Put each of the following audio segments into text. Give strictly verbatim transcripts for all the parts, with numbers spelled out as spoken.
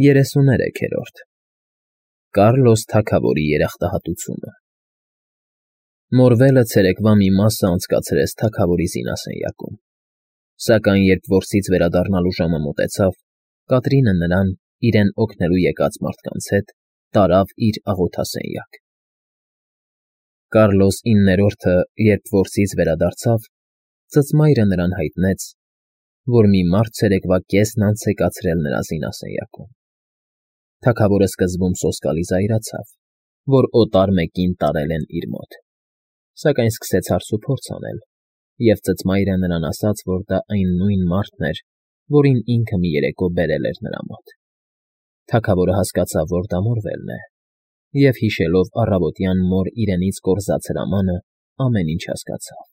Երեսուներեքերորդ Կառլոս թագավորի երախտահատությունը Մորվելը ցերեկվա մի մասը անցկացրեց թագավորի զինասենյակում, սակայն երբ որսից վերադառնալու ժամը մոտեցավ, Կատրինը նրան, իրեն օգնելու եկած մարդկանց հետ, տարավ իր աղոթասենյակ։ Կառլոս իններորդը, երբ որսից վերադարձավ, ծծմայրը նրան հայտնեց, որ մի մարդ ցերեկվա կեսն անց է կացրել նրա զինասենյակում։ Թագավորը սկզբում սոսկալի զայրացավ, որ օտար մեկին տարել են իր մոտ, սակայն սկսեց հարցուփորձ անել, և ծծմայրը նրան ասաց, որ դա այն նույն մարդն էր, որին ինքը մի երեկո բերել էր նրա մոտ։ Թագավորը հասկացավ, որ դա Մորվելն է, և, հիշելով առավոտյան մոր իրենից կորզած հրամանը, ամեն ինչ հասկացավ։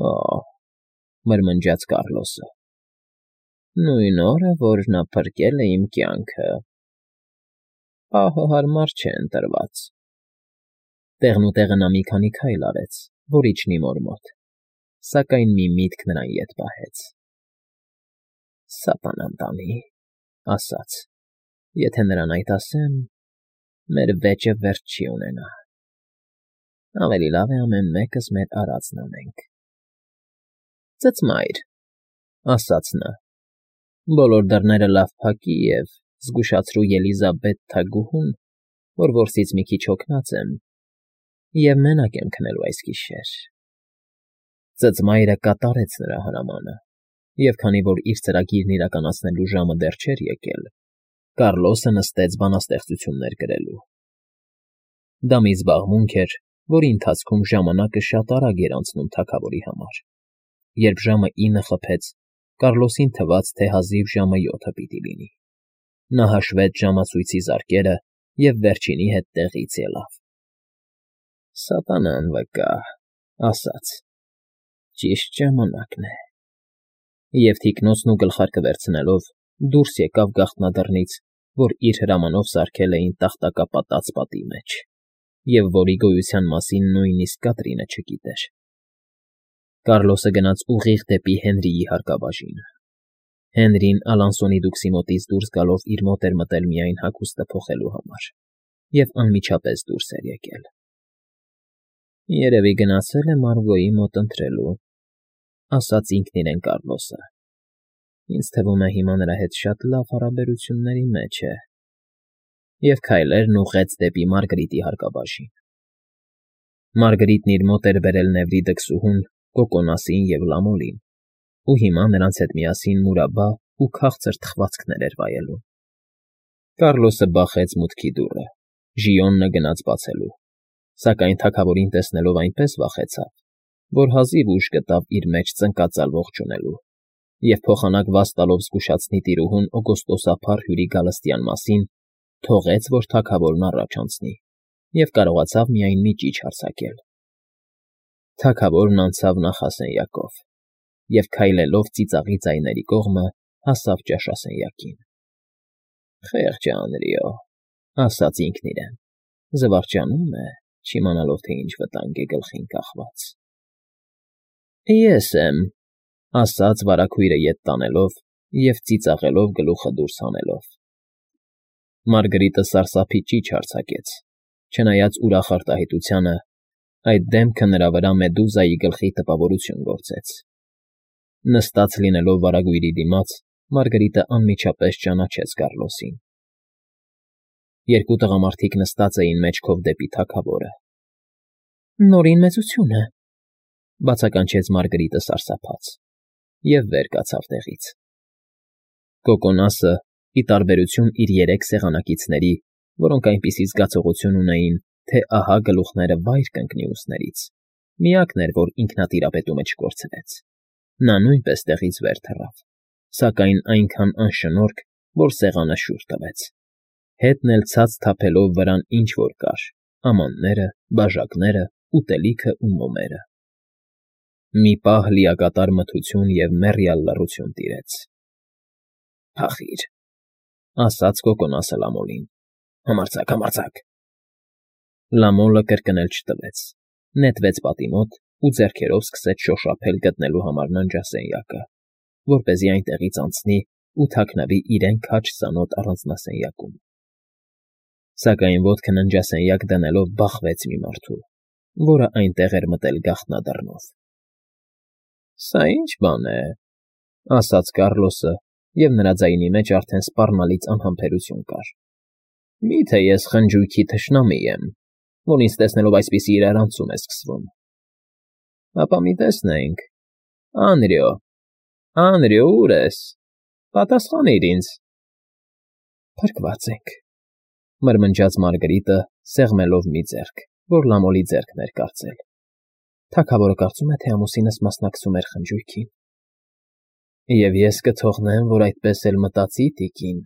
Օ՜, մրմնջաց Կառլոսը, նույն օրը, որ նա փրկել է իմ կյանքը, պահը հարմար չէ ընտրված։ Տեղնուտեղը նա մի քանի քայլ արեց, որ իջնի մոր մոտ, սակայն մի միտք նրան ետ պահեց։ Սատանան տանի, ասաց, եթե նրան այդ ասեմ, մեր վեճը վերջ չի ունենա, ավելի լավ է ամեն մեկս մեր արածն անենք։ Ծծմայր, ասաց նա, բոլոր դռները լավ փակի և զգուշացրու Ելիզաբեթ թագուհուն, որ որսից մի քիչ հոգնած եմ, և մենակ եմ քնելու այս գիշեր։ Ծծմայրը կատարեց նրա հրամանը, և քանի որ իր ծրագիրն իրականացնելու ժամը դեռ չէր եկել, Կառլոսը նստեց բանաստեղծություններ գրելու։ Դա մի զբաղմունք էր, որի ընթացքում ժամանակը շատ արագ էր անցնում թագավորի համար։ Երբ ժամը ինը խփեց, Կառլոսին թվաց, թե հազիվ ժամը յոթը պիտի լինի։ Նա հաշվեց ժամացույցի զարկերը և վերջինի հետ տեղից ելավ։ Սատանան վկա, ասաց, ճիշտ ժամանակն է։ Եվ թիկնոցն ու գլխարկը վերցնելով, դուրս եկավ գաղտնադռնից, որ իր հրամանով սարքել էին տախտակապատած պատի մեջ, և որի գոյության մասին նույնիսկ Կատրինը չգիտեր։ Կառլոսը գնաց ուղիղ դեպի Հենրիի հարկաբաժինը։ Հենրին Ալանսոնի դուքսի մոտից դուրս գալով իր մոտ էր մտել միայն հագուստը փոխելու համար և անմիջապես դուրս էր եկել։ Երևի գնացել է Մարգոյի մոտ ընթրելու, ասաց ինքն իրեն Կառլոսը։ Ինձ թվում է հիմա նրա հետ շատ լավ հարաբերությունների մեջ է։ Եվ քայլերն ուղղեց դեպի Մարգրիտի հարկաբաժին։ Մարգրիտն իր մոտ էր բերել Նևրի դքսուհուն, Կոկոնասին և Լամոլին, ու հիմա նրանց հետ միասին մուրաբա ու քաղցր թխվածքներ էր վայելում։ Կառլոսը բախեց մուտքի դուռը, Ժիոնը գնաց բացելու, սակայն թագավորին տեսնելով այնպես վախեցավ, որ հազիվ ուժ գտավ իր մեջ ծնկածալ ողջունելու, և փոխանակված տալով զգուշացնի տիրուհուն օգոստոսափառ հյուրի գալստյան մասին, թողեց, որ թագավորն առաջ անցնի, և կարողացավ միայն մի ճիչ արձակել։ Թագավորն անցավ նախասենյակով և, քայլելով ծիծաղի ձայների կողմը, հասավ ճաշասենյակին։ Խեղճ է Անրիո, ասաց ինքն իրեն, զվարճանում է, չիմանալով, թե ինչ վտանգ է գլխին կախված։ Ես եմ, ասաց վարագույրը ետ տանելով և ծիծաղելով գլուխը դուրս հանելով։ Մարգրիտը սարսափի ճիչ արձակեց, չնայած ուրախ արտահայտությանը, այդ դեմքը նրա վրա Մեդուզայի գլխի տպավորություն գործեց։ Նստած լինելով վարագույրի դիմաց, Մարգրիտը անմիջապես ճանաչեց Կառլոսին։ Երկու տղամարդիկ նստած էին մեջքով դեպի թագավորը։ Նորին մեծություն է, բացականչեց Մարգրիտը սարսափած, և վեր կացավ տեղից։ Կոկոնասը, ի տարբերություն իր երեք սեղանակիցների, որոնք այնպիսի զգացողություն ունեին, թե ահա գլուխները վայր կընկնի ուսներից, միակն էր, որ ինքնատիրապետումը չկորցրեց։ Նա նույնպես տեղից վեր թռավ, սակայն այնքան անշնորհք, որ սեղանը շուռ տվեց, հետն էլ ցած թափելով վրան ինչ֊որ կար՝ ամանները, բաժակները, ուտելիքը ու մոմերը։ Մի պահ լիակատար մթություն և մեռյալ լռություն տիրեց։ Փախի՛ր, ասաց Կոկոնասը Լամոլին, համարձակ, համարձակ։ Լամոլը կրկնել չտվեց, նետվեց պատի մոտ ու ձեռքերով սկսեց շոշափել գտնելու համար ննջասենյակը, որպեսզի այնտեղից անցնի ու թաքնվի իրեն քաջ ծանոթ առանձնասենյակում։ Սակայն ոտքը ննջասենյակ դնելով բախվեց մի մարդու, որը այնտեղ էր մտել գաղտնադռնով։ ֊ Սա ի՞նչ բան է,֊ ասաց Կառլոսը, և նրա ձայնի մեջ արդեն սպառնալից անհամբերություն կար։ ֊ Մի՞թե ես խնջույքի թշնամի եմ, որ ինձ տեսնելով այսպիսի իրարանցում է սկսվում։ Ապա մի տեսնենք… Անրիո, Անրիո, ո՞ւր ես, պատասխանիր ինձ։ ֊ Փրկված ենք,֊ մրմնջաց Մարգարիտը, սեղմելով մի ձեռք, որ լամոլի ձեռքն էր կարծել։ Թագավորը կարծում է, թե ամուսինս մասնակցում էր խնջույքին։ ֊ Եվ ես կթողնեմ, որ այդպես էլ մտածի, տիկին,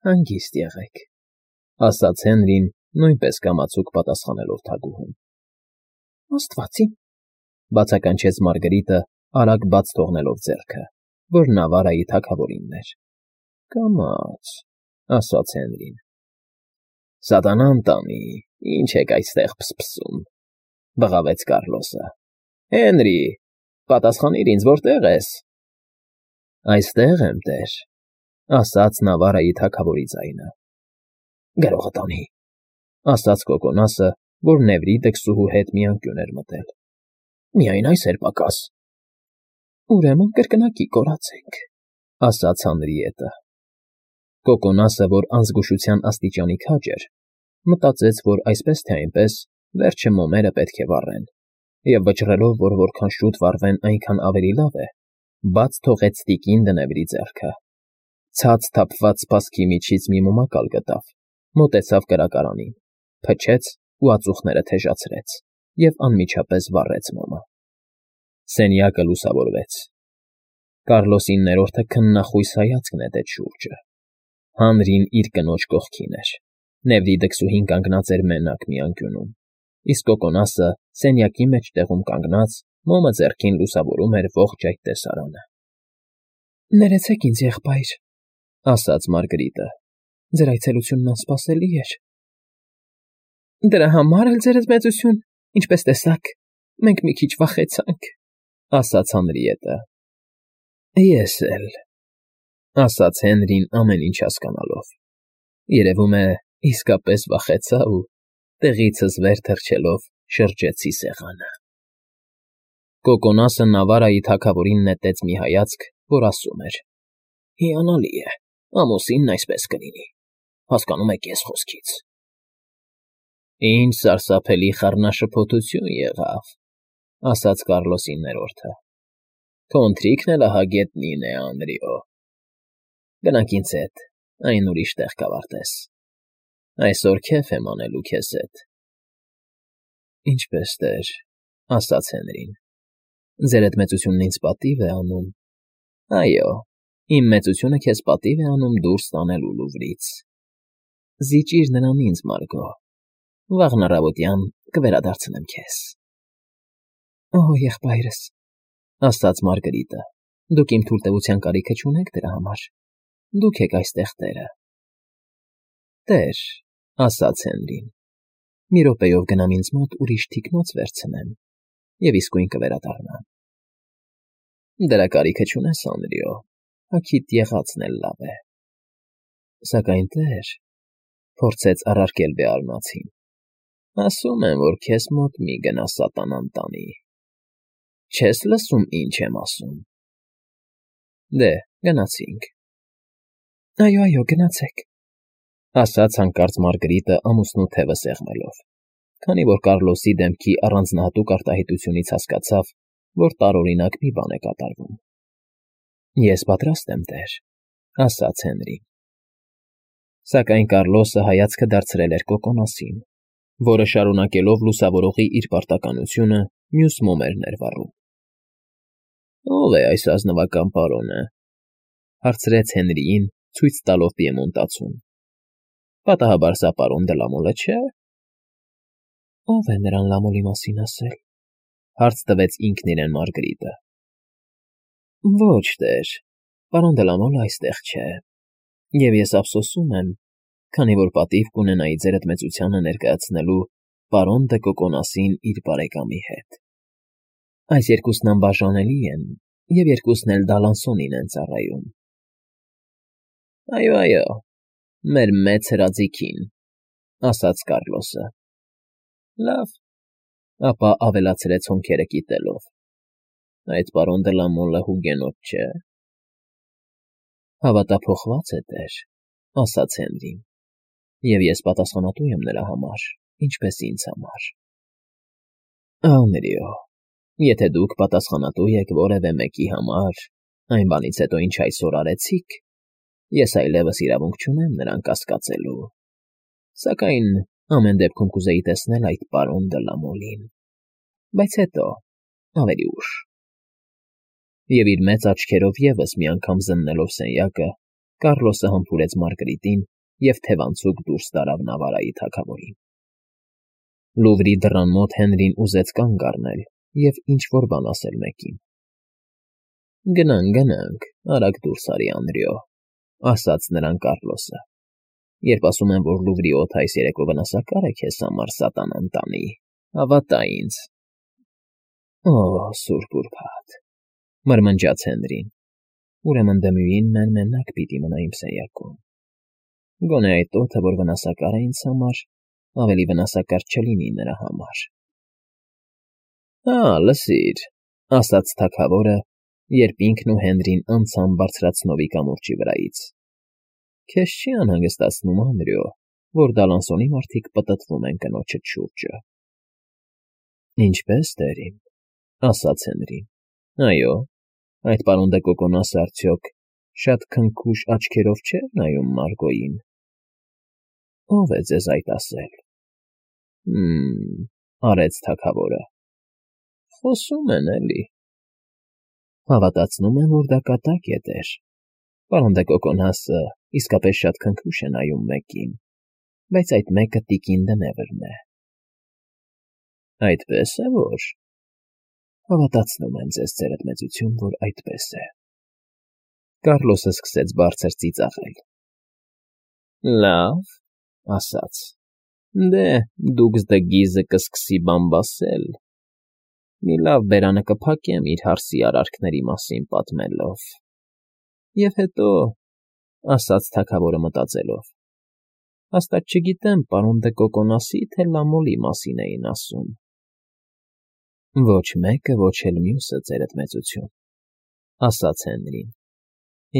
հանգիստ եղեք,֊ ասաց Հենրին, նույնպես կամացուկ պատասխանելով թագուհուն։ ֊ Աստվածին,֊ բացականչեց Մարգարիտը, արագ բաց թողնելով ձեռքը, որ Նավարայի թագավորինն էր։ ֊ Կամաց,֊ ասաց Հենրին։ ֊ Սատանան տանի, ինչ եք այստեղ փսփսում,֊ բղավեց Կառլոսը։ ֊ Հենրի, պատասխանիր ինձ, որտե՞ղ ես։ ֊ Այստեղ եմ, տեր,֊ ասաց Նավարայի թագավորի ձայնը։ ֊ Գրողը տանի,֊ ասաց Կոկոնասը, որ Նեֆրիտը քսուհու հետ մի անկյուն էր մտել։ ֊ Միայն այս էր պակաս։ ֊ Ուրեմն կրկնակի կորացենք,֊ ասաց Հանրիետը։ Կոկոնասը, որ անզգուշության աստիճանի քաջ էր, մտածեց, որ այսպես թե այնպես վերջը մոմերը պետք է վառեն, և վճռելով, որ որքան շուտ վառվեն, այնքան ավելի լավ է, բաց թողեց տիկին Դնեվրի ձեռքը, ցած թափված սպասքի միջից մի մոմակալ գտավ, մոտեցավ կրակարանին, փչեց ու ածուխները թեժացրեց և անմիջապես վառեց մոմը։ Սենյակը լուսավորվեց։ Կառլոսի ներորդը քննախույս հայացք նետեց շուրջը։ Հանրին իր կնոջ կողքին էր, Նեֆրիտը քսուհին կանգնած էր մենակ մի անկյունում, իսկ Կոկոնասը սենյակի մեջտեղում կանգնած, մոմը ձեռքին լուսավորում էր ողջ այդ տեսարանը։ ֊ Ներեցեք ինձ, եղբայր,֊ ասաց Մարգարիտը, ձեր այցելությունն անսպասելի էր։ ֊ Դրա համար էլ, ձերդ մեծություն, ինչպես տեսաք, մենք մի քիչ վախեցանք,֊ ասաց Հանրիետը։ ֊ Ես էլ,֊ ասաց Հենրին ամեն ինչ հասկանալով։ Երևում է, իսկապես վախեցա ու, տեղիցս վեր թռչելով, շրջեցի սեղանը։ Կոկոնասը Նավարայի թագավորին նետեց մի հայացք, որ ասում էր. «Հիանալի է, ամուսինն այսպես կլինի, հասկանում եք ես խոսքից»։ «Ինչ սարսափելի խառնաշփոթություն եղավ,֊ ասաց Կառլոսի ներորդը։ Քո ընթրիքն էլ ահա գետնին է, Անրիո։ Գնանք ինձ հետ, այն ուրիշ տեղ կավարտես։ Այսօր քեֆ եմ անելու քեզ հետ։ ֊ Ինչպես, տեր,֊ ասաց Հենրին։ Ձերդ մեծությունն ինձ պատիվ է անում։ Այո, իմ մեծությունը քեզ պատիվ է անում դուրս տանելու Լուվրից։ Զիջիր նրան ինձ, Մարգո, վաղն առավոտյան կվերադարձնեմ քեզ։ ֊ Օ, եղբայրս,֊ ասաց Մարգարիտը, դուք իմ թույլտվության կարիքը չունեք դրա համար, դուք եք այստեղ տերը։ ֊ Տեր,֊ ասաց Հենրին, մի րոպեով գնամ ինձ մոտ ուրիշ թիկնոց վերցնեմ և իսկույն կվերադառնամ։ ֊ Դրա կարիքը չունես, Անրիո, հագիդ եղածն էլ լավ է։ ֊ Սակայն, տեր,֊ փորձեց առարկել Բեարնացին,֊ ասում են, որ քեզ մոտ մի գնա սատանան տանի։ Չես լսում, ինչ եմ ասում։ ֊ Դե, գնացինք։ ֊ Այո, այո, գնացեք,֊ ասաց հանկարծ Մարգարիտը ամուսնու թևը սեղմելով, քանի որ Կառլոսի դեմքի առանձնահատուկ արտահայտությունից հասկացավ, որ տարօրինակ մի բան է կատարվում։ ֊ Ես պատրաստ եմ, տեր,֊ ասաց Հենրին։ Սակայն Կառլոսը հայացքը դարձրել էր Կոկոնասին, որը շարունակելով լուսավորողի իր պարտականությունը մյուս մոմերն էր վառում։ ֊ Ո՞վ է այս ազնվական պարոնը,֊ հարցրեց Հենրիին, ցույց տալով պիեմոնտացուն։ ֊ Պատահաբար սա պարոն Դը Լամոլը չէ՞։ ֊ Ո՞վ է նրան Լամոլի մասին ասել,֊ հարց տվեց ինքն իրեն Մարգարիտը։ ֊ Ոչ, տեր, պարոն Դը Լամոլը այստեղ չէ, և ես ափսոսում եմ, քանի որ պատիվ կունենայի ձերդ մեծությանը ներկայացնելու պարոն Դը Կոկոնասին իր բարեկամի հետ։ Այս երկուսն անբաժանելի են, և երկուսն էլ Դալանսոնին են ծառայում։ Այո, այո, մեր մեծ հրաձիգին, ասաց Կառլոսը։ Լավ, ապա ավելացրեց հոնքերը կիտելով. այդ պարոն դե լա Մոլը հուգենոտ չէ։ Հավատափոխված է տեր, ասաց Հենրին, և ես պատասխանատու եմ նրա համար, ինչպես ինձ համար։ Անրիո, եթե դուք պատասխանատու եք որևէ մեկի համար, այն բանից հետո ինչ այսօր արեցիք, ես այլևս իրավունք չունեմ նրան կասկածելու, սակայն ամեն դեպքում կուզեի տեսնել այդ պարոն դե լա Մոլին, բայց հետո, ավելի ուշ։ Եվ իր մեծ աչքերով ևս մի անգամ զննելով սենյակը, Կառլոսը համբուրեց Մարգարիտին և թևանցուկ դուրս տարավ Նավարայի թագավորին։ Լուվրի դռան մոտ Հենրին ուզեց կանգ առնել և ինչ֊որ բան ասել մեկին։ Գնանք, գնանք, արագ դուրս արի Անրիո, ասաց նրան Կառլոսը, երբ ասում են, որ Լուվրի օդը այս երեկո վնասակար է քեզ համար, սատանան տանի, հավատա ինձ։ Օ, սուրբ ուրբաթ, մրմնջաց Հենրին, ուրեմն դմույին մեն մենակ պիտի մնա իմ սենյակում։ Գոնե այդ օդը, որ վնասակար է ինձ համար, ավելի վնասակար չլինի նրա համար։ Հա, լսիր, ասաց թագավորը, երբ ինքն ու Հենրին անցան բարձրացնովի կամուրջի վրայից։ Քեզ չի անհանգստացնում, Անրիո, որ Դալանսոնի մարդիկ պտտվում են կնոջդ շուրջը։ Ինչպես, տերիմ, ասաց Հենրին։ Այո, այդ պարոն դե Կոկոնասը արդյոք շատ քնքուշ աչքերով չէ նայում Մարգոյին։ Ո՞վ է ձեզ այդ ասել։ Հմ, արեց թագավորը։ Խոսում են էլի։ Հավատացնում եմ, որ դա կատակ է, տեր։ Պարոն դե Կոկոնասը իսկապես շատ քնքուշ է նայում մեկին, բայց այդ մեկը տիկին Դնևրն է։ Այդպես է, որ… Հավատացնում եմ ձեզ, ձերդ մեծություն, որ այդպես է։ Կառլոսը սկսեց բարձր ծիծաղել։ Լավ, ասաց, դե դուքս դե գիզը կսկսի բամբասել։ Մի լավ բերանը կփակեմ իր հարսի արարքների մասին պատմելով։ Եվ հետո, ասաց թագավորը մտածելով, հաստատ չգիտեմ, պարոն դե Կոկոնասի, թե Լամոլի մասին էին ասում։ Ոչ մեկը, ոչ էլ մյուսը, ձերդ մեծություն, ասաց Հենրին,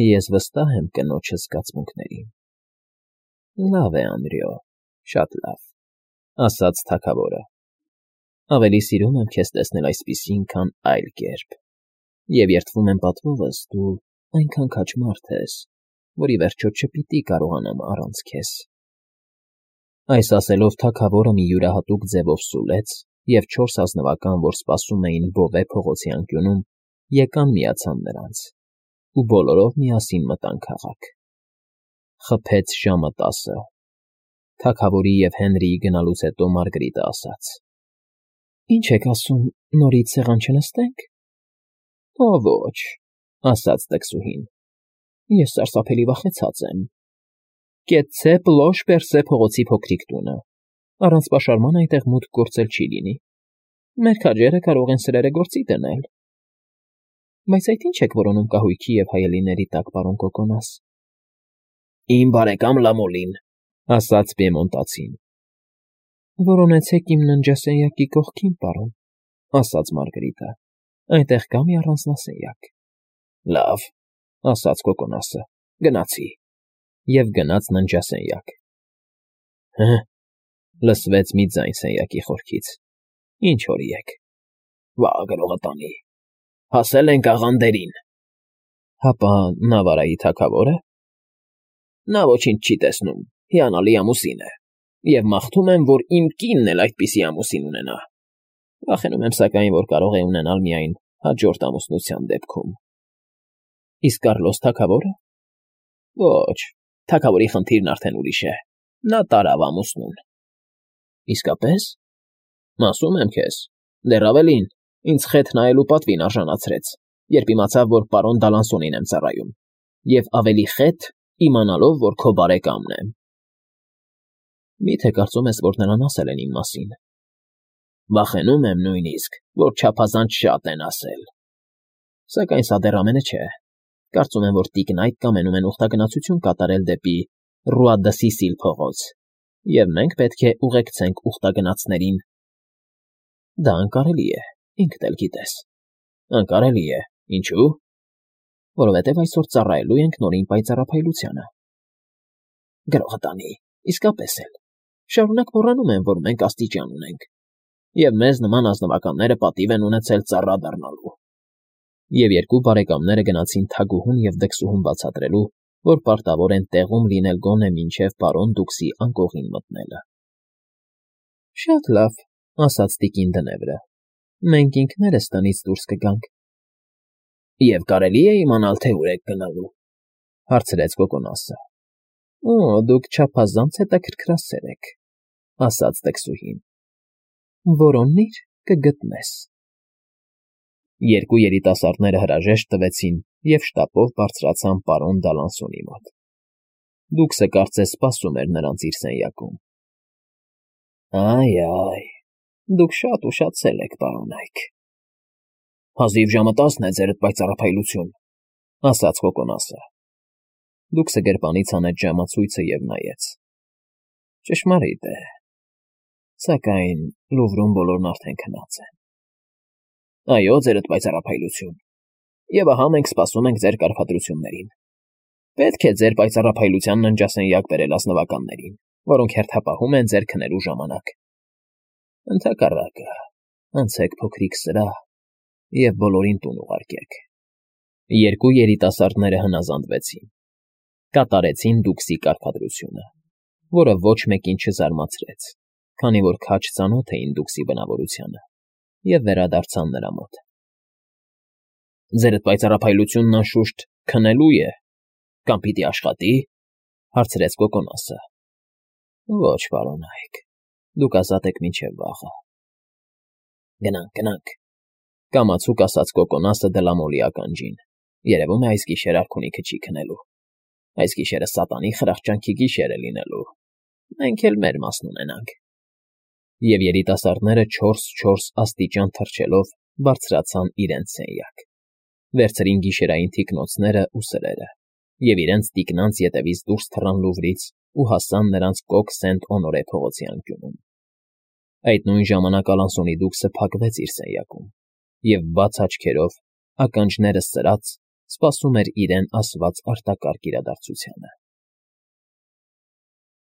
ես վստահ եմ կնոջս զգացմունքներին։ Լավ է, Անրիո, շատ լավ, ասաց թագավորը։ Ավելի սիրում եմ քեզ տեսնել այսպիսին, քան այլ կերպ, և երդվում եմ պատվովս, դու այնքան քաջ մարդ ես, որ ի վերջո չպիտի կարողանամ առանց քեզ։ Այս ասելով թագավորը մի յուրահատուկ ձևով սուլեց, և չորս ազնվական, որ սպասում էին Բովե փողոցի անկյունում, եկան միացան նրանց, ու բոլորով միասին մտան քաղաք։ Խփեց ժամը տասը։ Թագավորի և Հենրիի գնալուց հետո Մարգարիտը ասաց. Ինչ եք ասում, նորից սեղան չնստենք։ Ո ոչ, ասաց տկսուհին, ես սարսափելի վախեցած եմ։ Կեցցե Պլոշ Պերսե փողոցի փոքրիկ տունը, առանց պաշարման այնտեղ մուտք գործել չի լինի։ Մեր քաջերը կարող են սրերը գործի դնել։ Բայց այդ ինչ եք որոնում կահույքի և հայելիների տակ, պարոն Կոկոնաս։ Իմ բարեկամ Լամոլին, ասաց Պիեմոնտացին։ Որոնեցեք իմ ննջասենյակի կողքին, պարոն, ասաց Մարգարիտը, այնտեղ կա մի առանձնասենյակ։ Լավ, ասաց Կոկոնասը, գնացի, և գնաց ննջասենյակ։ Հը, լսվեց մի ձայն սենյակի խորքից։ Ինչ հորիեք։ Վա գրողը տանի։ Հասել ենք աղանդերին։ Հապա Նավարայի թագավորը։ Նա ոչինչ չի տեսնում, հիանալի ամուսին է, և մաղթում եմ, որ իմ կինն էլ այդպիսի ամուսին ունենա։ Վախենում եմ, սակայն, որ կարող է ունենալ միայն հաջորդ ամուսնության դեպքում։ Իսկ Կառլոս թագավորը։ Ոչ, թագավորի խնդիրն արդեն ուրիշ է։ Նա տարավ ամուսնուն։ Իսկապես։ Ասում եմ քեզ, դեռ ավելին, ինձ խեթ նայելու պատվին արժանացրեց, երբ իմացավ, որ պարոն Դալանսոնին եմ ծառայում, և ավելի խեթ, իմանալով, որ քո բարեկամն եմ։ Մի՞թե կարծում ես, որ նրան ասել են իմ մասին։ Վախենում եմ նույնիսկ, որ չափազանց շատ են ասել։ Սակայն սա դեռ ամենը չէ։ Կարծում եմ, որ տիկնայք կամենում են ուխտագնացություն կատարել դեպի Ռուա դը Սիսիլ փողոց, և մենք պետք է ուղեկցենք ուխտագնացներին։ Դա անկարելի է, ինքդ էլ գիտես։ Անկարելի է, ինչու՞։ Որովհետև այսօր ծառայելու ենք Նորին պայծառափայլությանը։ Գրողը տանի, իսկապես էլ։ Շարունակ մոռանում են, որ մենք աստիճան ունենք, և մեզ նման ազնվականները պատիվ են ունեցել ծառա դառնալու։ Եվ երկու բարեկամները գնացին թագուհուն և դքսուհուն բացատրելու, որ պարտավոր են տեղում լինել գոնե մինչև պարոն Դուքսի անկողին մտնելը։ Շատ լավ, ասաց տիկին Դնեվրը, մենք ինքներս տնից դուրս կգանք։ Եվ կարելի է իմանալ, թե ուր եք գնալու, հարցրեց Կոկոնասը։ Օ, դուք չափազանց հետաքրքրասեր եք, ասաց դքսուհին։ Որոննի՛ր, կգտնես։ Երկու երիտասարդները հրաժեշտ տվեցին և շտապով բարձրացան պարոն Դալանսոնի մոտ։ Դուքսը կարծես սպասում էր նրանց իր սենյակում։ Այ֊այ, դուք շատ ուշացել եք, պարոնայք։ Հազիվ ժամը տասն է, ձերդ պայծառափայլություն, ասաց Կոկոնասը։ Դուքսը գրպանից հանեց ժամացույցը և նայեց։ Ճշմարիտ է, սակայն Լուվրում բոլորն արդեն քնած են։ Այո, ձերդ պայծառափայլություն, և ահա մենք սպասում ենք ձեր կարգադրություններին։ Պետք է ձեր պայծառափայլության ննջասենյակ բերել ազնվականներին, որոնք հերթապահում են ձեր քնելու ժամանակ։ Ընդհակառակը, անցեք փոքրիկ սրահ և բոլորին տուն ուղարկեք։ Երկու երիտասարդները հնազանդվեցին։ Կատարեցին Դուքսի կարգադրությունը, որը ոչ մեկին չզարմացրեց, քանի որ քաջ ծանոթ էին Դուքսի բնավորությանը, և վերադարձան նրա մոտ։ Ձերդ պայծառափայլությունն անշուշտ քնելու է, կամ պիտի աշխատի, հարցրեց Կոկոնասը։ Ոչ, պարոնայք, դուք ազատ եք մինչև վաղը։ Գնանք, գնանք, կամացուկ ասաց Կոկոնասը Դլամոլի ականջին։ Երևում է այս գիշեր արքունիքը չի քնելու։ Այս գիշերը սատանի խրախճանքի գիշեր է լինելու։ Մենք էլ մեր մասն ունենանք։ Եվ երիտասարդները չորս֊չորս աստիճան թռչելով բարձրացան իրենց սենյակ, վերցրին գիշերային թիկնոցներն ու սրերը, և իրենց տիկնանց ետևից դուրս թռան Լուվրից ու հասան նրանց կոկ Սենտ֊Օնորե փողոցի անկյունում։ Այդ նույն ժամանակ Ալանսոնի Դուքսը փակվեց իր սենյակում և բաց աչքերով, ականջները սրած, սպասում էր իրեն ասված արտակարգ իրադարձությանը։